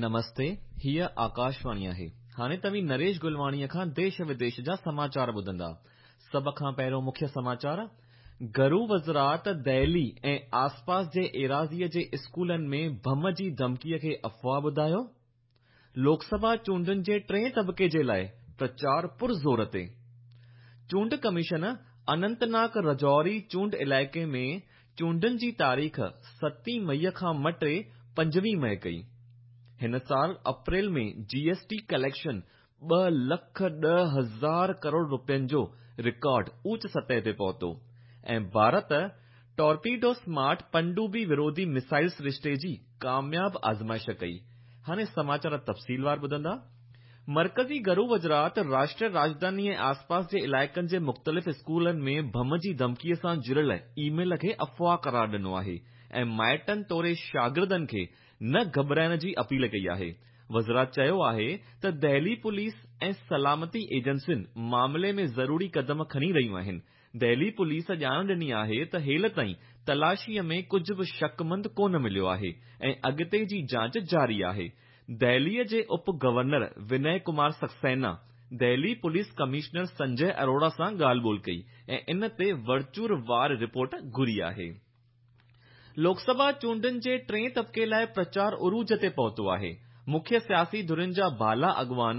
نمستي، هيء آڪاشواڻي آهي. هاڻي توهين نريش گلواڻيء کان ديش وديش جا سماچار ٻڌندا. سڀ کان پهريون مکيه سماچار، گهرو وزارت دهلي ۽ آسپاس جي ايراضيء جي اسڪولن ۾ بم جي ڌمڪيء کي افواهه ٻڌايو. لوڪ سڀا چونڊن جي ٽئين طبقي جي لاء پرچار پرزور تي. چونڊ ڪميشن اننت ناگ رجوري چونڊ علائقي ۾ چونڊن جي تاريخ ستين مئي کان مٽي پنجويهه مئي ڪئي. هن سال اپريل ۾ جي ايس ٽي ڪليڪشن 2,10,000 ڪروڙ رپين جو رڪارڊ اوچ سطح تي پهتو ۽ ڀارت ٽارپيڊو سمارٽ پنڊوبي وروڌي ميسائل سرشتي جي ڪامياب آزمائش ڪئي. هاڻي سماچار تفصيلوار ٻڌندا. مرڪزي گهرو وزارت راشٽريه راڄڌاني ۽ آسپاس جي علائقن جي مختلف اسڪولن ۾ بم جي ڌمڪي سان جڙيل اي ميل کي افواهه قرار ڏنو آهي ۽ مائٽن توڙي شاگردن کي نه گهٻرائڻ جي اپيل ڪئي آهي. وزارت چيو آهي ته دهلي پوليس ۽ سلامتي ايجنسين معاملي ۾ ضروري قدم کڻي رهيون آهن. دهلي پوليس ڄاڻ ڏني آهي ته هيل تائين تلاشيء ۾ ڪجهه به شڪمند ڪونه مليو آهي ۽ اڳتي جي جاچ جاري آهي. دهليء جي up governor ونئي Kumar Saxena Delhi police commissioner سنجي اروڙا سان ڳالهه ٻولهه ڪئي ۽ ان تي ورچور وار رپورٽ گهري آهي. لوڪ سڀا چونڊن جي ٽئين طبقي لاء پرچار عروج تي پهتو آهي. مکيه سياسي ڌرين جا بالا اڳواڻ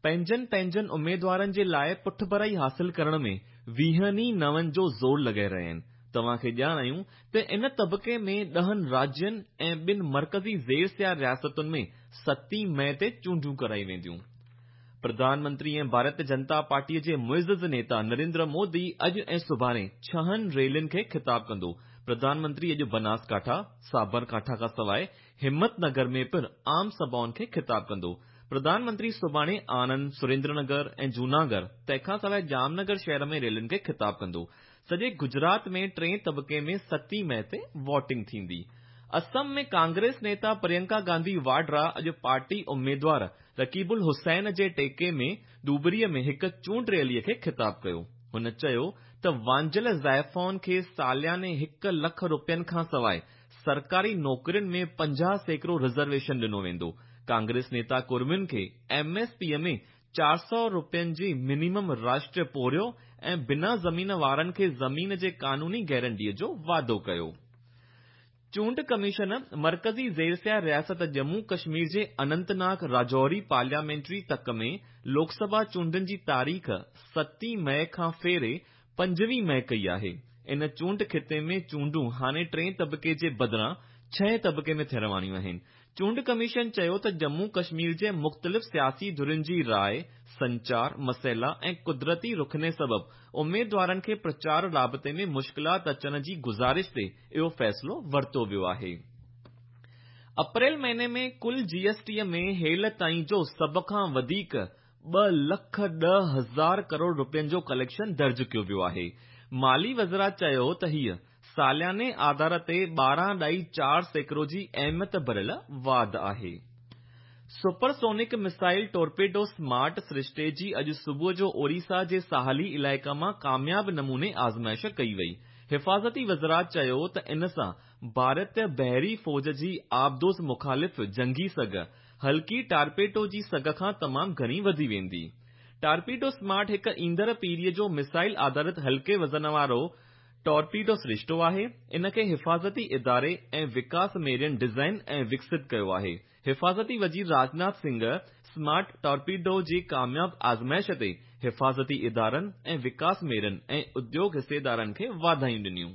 پنهنجن پنهنجن اميدوارن جي لاء پٺڀرائي حاصل ڪرڻ ۾ ويهن ئي نون جو زور لڳائي رهيا آهن. توهان کي ڄاڻايون ته ان طبقي ۾ ڏهن راجين ۽ ٻن مرڪزي زير سيا رياستن ۾ ستين مئي تي چونڊون ڪرايون وينديون. پرڌان منتري ۽ ڀارتيه جنتا پارٽيء جي معزز نيتا نريندر مودي اڄ ۽ سڀاڻي ڇهن ريلين کي خطاب ڪندو. پرڌان منتري اڄ بناس ڪاٺا، سابر ڪاٺا کان سواء همت نگر ۾ پڻ عام سڀائن کي خطاب ڪندو. پرڌان منتري سڀاڻي آڻند، سريندر نگر ۽ جوناڳڙهه تنهن کان سواء ڄام نگر شهر ۾ ريلين کي خطاب ڪندو. سڄي گجرات ۾ ٽئين طبقي ۾ ستين مئي تي ووٽنگ ٿيندي. اسم ۾ ڪانگريس نيتا پريانڪا گانڌي واڊرا اڄ پارٽي اميدوار رقيب الحسين جي ٽيڪي ۾ ڌوبري ۾ هڪ چونڊ ريلي کي خطاب ڪيو. هن چيو ته وانجهيل زائفائن کي سالياني هڪ لک رپين کانسواء سرڪاري نوڪرين ۾ 50% رزرويشن ڏنو ويندو. ڪانگريس نيتا ڪڙمين کي ايم ايس پي ۾ 400 رپين جي منيمم راشٽريه پورهيو ۽ بنا زمين وارن کي زمين جي قانوني گيرنٽيء جو وعدو ڪيو. چونڊ ڪميشن مرڪزي زيرسيا رياست ڄمون ڪشمير جي اننت ناگ راجوري پارليامينٽري تڪ ۾ لوڪ سڀا چونڊن جي تاريخ ستين مئي کان ڦيري پنجويهه مئي ڪئي آهي. ان چونڊ خطي ۾ چونڊون هاڻي ٽئين طبقي جي بدران ڇهين طبقي ۾ ٿيڻ واريون آهن. چونڊ ڪميشن چيو ته ڄمون ڪشمير جي مختلف سياسي ڌرين جي راء، سنچار، مسئلا ۽ قدرتي رخني سبب اميدوارن کي پرچار رابطي ۾ مشڪلات اچڻ جي گذارش تي اهو فيصلو ورتو ويو آهي. اپريل مهيني ۾ ڪل جي ايس ٽي ۾ هيل تائين جو سڀ کان وڌيڪ 2,10,000 ڪروڙ رپين جو ڪليڪشن درج ڪيو ويو آهي. مالي وزارت چيو ته هيء سالياني آڌار تي 12.4% جي اهميت ڀريل واڌ آهي. سپر سونڪ ميسائل ٽورپيڊو سمارٽ سرشتي جي اڄ صبح جو اوريسا جي ساحلي علائقا مان ڪامياب نموني آزمائش ڪئي وئي. حفاظتي وزارت چيو ته ان سان ڀارتي بحري فوج جي آبدوز مخالف جنگي سگهه هلڪي ٽارپيڊو جي سگهه کان تمام گهڻي وڌي ويندي. ٽارپيڊو سمارٽ هڪ ايندڙ پيڙهيء جو ميسائل آڌارت هلڪي وزن وارو ٽارپيڊو سرشتو آهي، ان کي حفاظتي اداري ۽ وڪاس ميرين ڊزائن ۽ وڪست ڪيو آهي. حفاظتي وزير راجناٿ سنگهه سمارٽ ٽارپيڊو جي ڪامياب آزمائش تي حفاظتي ادارن ۽ وڪاس ميرين ۽ اديوگ حصيدارن کي واڌايون ڏنيون.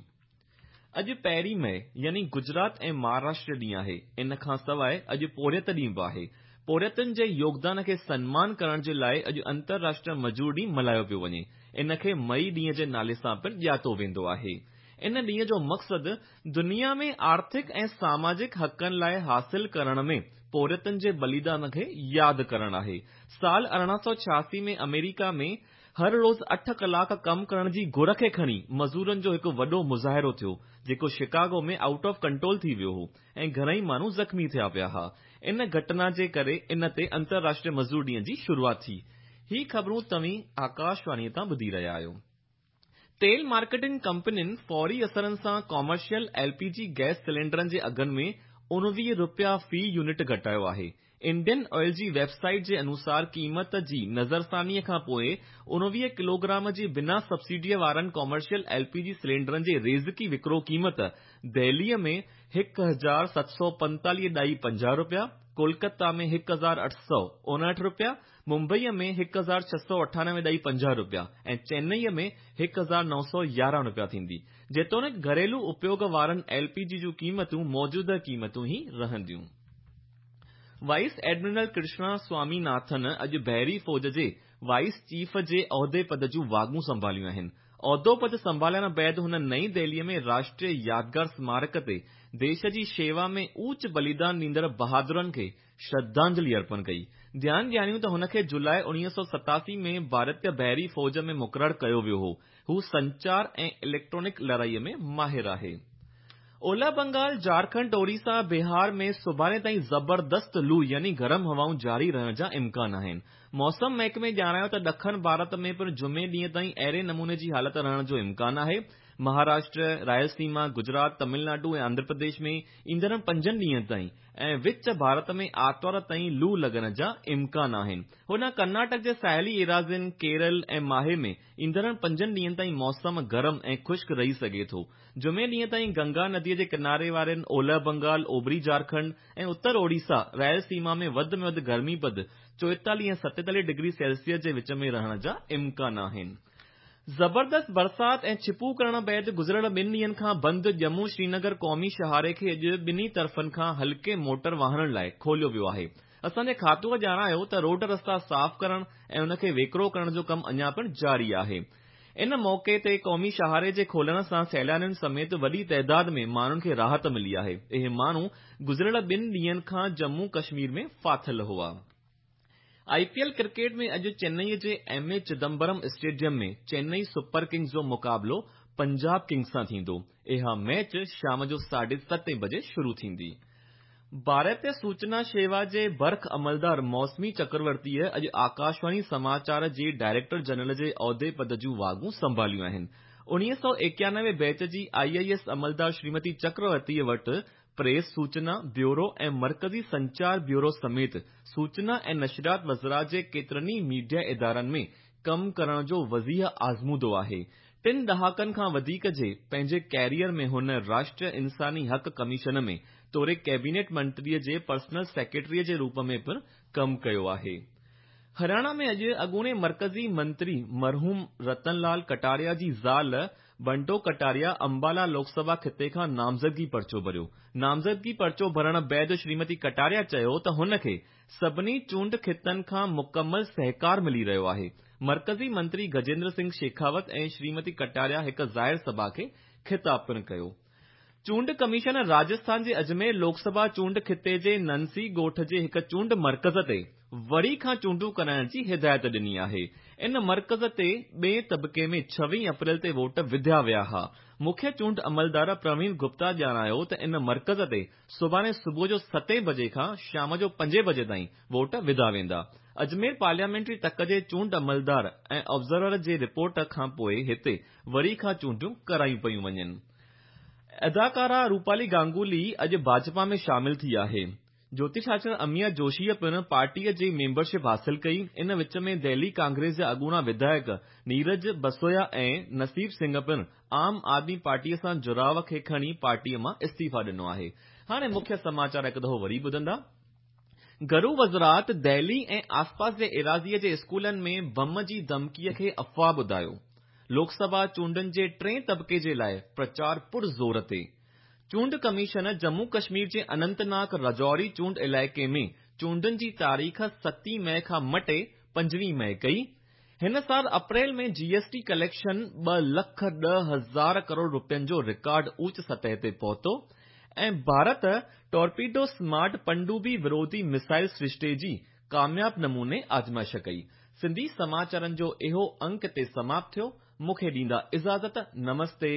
اڄ پهرين مئي يعني گجرات ۽ مهاراشٽر ڏينهن آهي. ان کان سواء اڄ پورهيت ڏينهن به آهي. پورهيتن جي يوگدان کي سنمان ڪرڻ جي لاء اڄ انترراشٽريه مزور ڏينهن ملهايو پيو وڃي. ان کي مئي ڏينهن جي نالي سان پڻ ڄاتو ويندو آهي. ان ڏينهن جو مقصد دنيا ۾ آرٿڪ ۽ ساماجڪ حقن لاء حاصل ڪرڻ ۾ پورهيتن جي بليدان کي ياد ڪرڻ آهي. سال 1886 ۾ آمريڪا ۾ هر روز اٺ ڪلاڪ ڪم ڪرڻ جي گهر کي کڻي مزورن جو هڪ وڏو مظاهرو ٿيو، جيڪو شڪاگو ۾ آئوٽ آف ڪنٽرول ٿي ويو هو ۽ گهڻئي ماڻهو زخمي ٿيا پيا ها. ان گهٽنا جي ڪري ان تي انترراشٽريه مزور ڏينهن جي شروعات ٿي. هي خبرون توهين آڪاشواڻيء تان ٻڌي رهيا آهيو. تيل مارڪيٽنگ ڪمپنين فوري اثرن سان ڪمرشل ايل پي جي گئس سلينڊرن جي اگهن ۾ 19 رپيا في يونٽ گهٽايو آهي. انڊين آئل جي ويب سائيٽ جي انوسار قيمت جي نظرثانيء کان پوء 19 ڪلوگرام جي بنا سبسڊيء وارن ڪمرشل ايل پي جي سلينڊرن جي ريزڪي وڪرو قيمت دهليء ۾ 1745.50 رپيا، ڪولڪتا ۾ 1859 رپيا، ممبئيء ۾ 1698.50 رپيا ۽ چينئيء ۾ 1911 رپيا ٿيندي. جيتوڻيڪ گهريلو اپيوڳ وارن ايل پي جي جون قيمتون موجوده قيمتون ئي رهنديون. وائيس ايڊمرل ڪرشنا سوامي ناٿن اڄ بحري فوج جي وائيس چيف جي عهدي پد جون واڳون سنڀاليون آهن. عهدو پد سنڀالڻ بعد هن نئين دهليء ۾ راشٽريه يادگار سمارڪ تي ديش جي شيوا ۾ اوچ بليدان ڏيندڙ بهادرن کي شرڌانجلي ارپڻ ڪئي. ڌيان ڏياريون ته هن کي جولاء 1987 ۾ ڀارتيه بحري فوج ۾ مقرر ڪيو ويو هو. هو سنچار ۽ اليڪٽرانڪ لڙائيء ۾ ماهر آهي. اولهه بنگال، جهارکنڊ، اوڙيسا، بهار ۾ سڀاڻي تائين زبردست لو يعني گرم هوائون جاري رهڻ جا امڪان آهن. موسم محڪمي ڄاڻايو ته ڏکڻ ڀارت ۾ پڻ جمعي ڏينهن تائين اهڙي نموني جي حالت رهڻ جو امڪان آهي. مهاراشٽر، رائلسيما، گجرات، تمل ناڊو ۽ آنڌرا پرديش ۾ ايندڙ پنجن ڏينهن تائين ۽ وچ ڀارت ۾ آرتوار تائين لو لڳڻ جا امڪان آهن. هوڏانهن ڪرناٽڪ جي ساحلي ايراضين، ڪيرل ۽ ماهي ۾ ايندڙ پنجن ڏينهن تائين موسم گرم ۽ خشڪ رهي سگهي ٿو. جمعي ڏينهن تائين گنگا نديء جي ڪناري وارين اولهه بنگال، اوڀري جهارکنڊ ۽ اتر اوڙيسا، رائل سيما ۾ وڌ ۾ وڌ گرمي پد 44 ۽ 47 ڊگري سيلسيس جي وچ ۾ رهڻ جا امڪان آهن. زبردست برسات ۽ ڇپون ڪرڻ بعد گذريل ٻن ڏينهن کان بند ڄمون شرينگر قومي شاهراهه کي اڄ ٻنهي طرفن کان هلڪي موٽر واهنن لاء کوليو ويو آهي. اسان جي کاتوء ڄاڻايو ته روڊ رستا صاف ڪرڻ ۽ ان کي ويڪرو ڪرڻ جو ڪم اڃا پڻ جاري آهي. ان موقعي تي قومي شاهراهه جي کولڻ سان سيلانين سميت وڏي تعداد ۾ ماڻهن کي راحت ملي آهي. اهي ماڻهو گذريل ٻن ڏينهن کان ڄمون ڪشمير ۾ ڦاٿل هئا. آء پي ايل ڪرڪيٽ ۾ اڄ چنئي جي M A Chidambaram stadium ۾ Chennai super kings جو مقابلو پنجاب ڪنگز سان ٿيندو. اها ميچ شام جو 7:30 بجي شروع ٿيندي. ڀارتيه سوچنا شيوا جي برک عملدار موسمي چڪرورتيء اڄ آڪاشواڻي سماچار جي ڊائريڪٽر جنرل جي عهدي پد جون واڳون سنڀاليون آهن. 1991 بيچ جي آء I S عملدار شريمتي چڪرورتيء وٽ پريس سوچنا بيورو ۽ مرڪزي سنچار بيورو سميت سوچنا ۽ نشريات وزارت جي ڪيترن ئي ميڊيا ادارن ۾ ڪم ڪرڻ جو وسيع آزمودو آهي. ٽن ڏهاڪن کان وڌيڪ جي پنهنجي ڪيريئر ۾ هن راشٽريه انساني حق ڪميشن ۾ توڙي ڪيبينيٽ منتريء جي پرسنل سيڪريٽريء جي روپ ۾ پڻ ڪم ڪيو آهي. هرياڻا ۾ اڄ اڳوڻي مرڪزي منتري مرحوم رتن لال ڪٽاريا جي زال بنٽو ڪٽاريا امبالا لوڪ سڀا خطي کان نامزدگي پرچو ڀريو. نامزدگي پرچو ڀرڻ بعد شريمتي ڪٽاريا چيو ته هن کي سڀني چونڊ خطن کان مڪمل سهڪار ملي رهيو آهي. مرڪزي منتري گجيندر سنگهه شيخاوت ۽ شريمتي ڪٽاريا هڪ ظاهر سڀا کي خطاب پڻ ڪيو. چونڊ ڪميشن راجسٿان جي اجمير لوڪ سڀا چونڊ خطي جي ننسي ڳوٺ جي هڪ چونڊ مرڪز تي وري کان چونڊون ڪرائڻ جي هدايت ڏني آهي. ان مرڪز تي ٻئين طبقي ۾ 26 اپريل تي ووٽ وڌيا ويا ها. مکيه چونڊ عملدار پروين گپتا ڄاڻايو ته ان مرڪز تي سڀاڻي صبح جو ستين بجي کان شام جو پنجين بجي تائين ووٽ وڌا ويندا. اجمير پارليامينٽري تڪ جي چونڊ عملدار ۽ آبزرور جي رپورٽ کانپوء هتي وري کان چونڊون ڪرايون پيون وڃن. اداڪارا روپالي گانگولي اڄ ڀاجپا ۾ شامل ٿي آهي. جوتش آچاريه اميا جوشيء پڻ پارٽيء جي ميمبرشپ حاصل ڪئي. ان وچ ۾ دهلي ڪانگريس جا اڳوڻا وڌايڪ نيرج بسويا ۽ نصيب سنگهه پڻ عام آدمي پارٽيء سان جڙاء کي کڻي پارٽيء مان استعيفا ڏنو آهي. هاڻي مکيه سماچار هڪ دفعو وري ٻڌندا. گهرو وزارت دهلي ۽ آسپاس جي ايراضيء جي اسڪولن ۾ بم جي ڌمڪيء کي افواهه ٻڌايو. لوڪ سڀا چونڊن جي ٽئين طبقي جي لاء پرچار پر زور تي. چونڊ ڪميشن ڄمون ڪشمير جي اننت ناگ راجوري چونڊ علائقي ۾ چونڊن جي تاريخ 7 مئي کان مٽي 25 مئي ڪئي. هن سال اپريل ۾ جي ايس ٽي ڪليڪشن 2,10,000 ڪروڙ رپين جو رڪارڊ اوچ سطح تي پهتو ۽ ڀارت ٽورپيڊو سمارٽ پنڊوبي وروڌي ميسائل سرشتي جي ڪامياب نموني آزمائش ڪئي. سنڌي سماچارن جو اهو انڪ هتي سماپت ٿيو. مون کي ڏيندا اجازت. نمستي.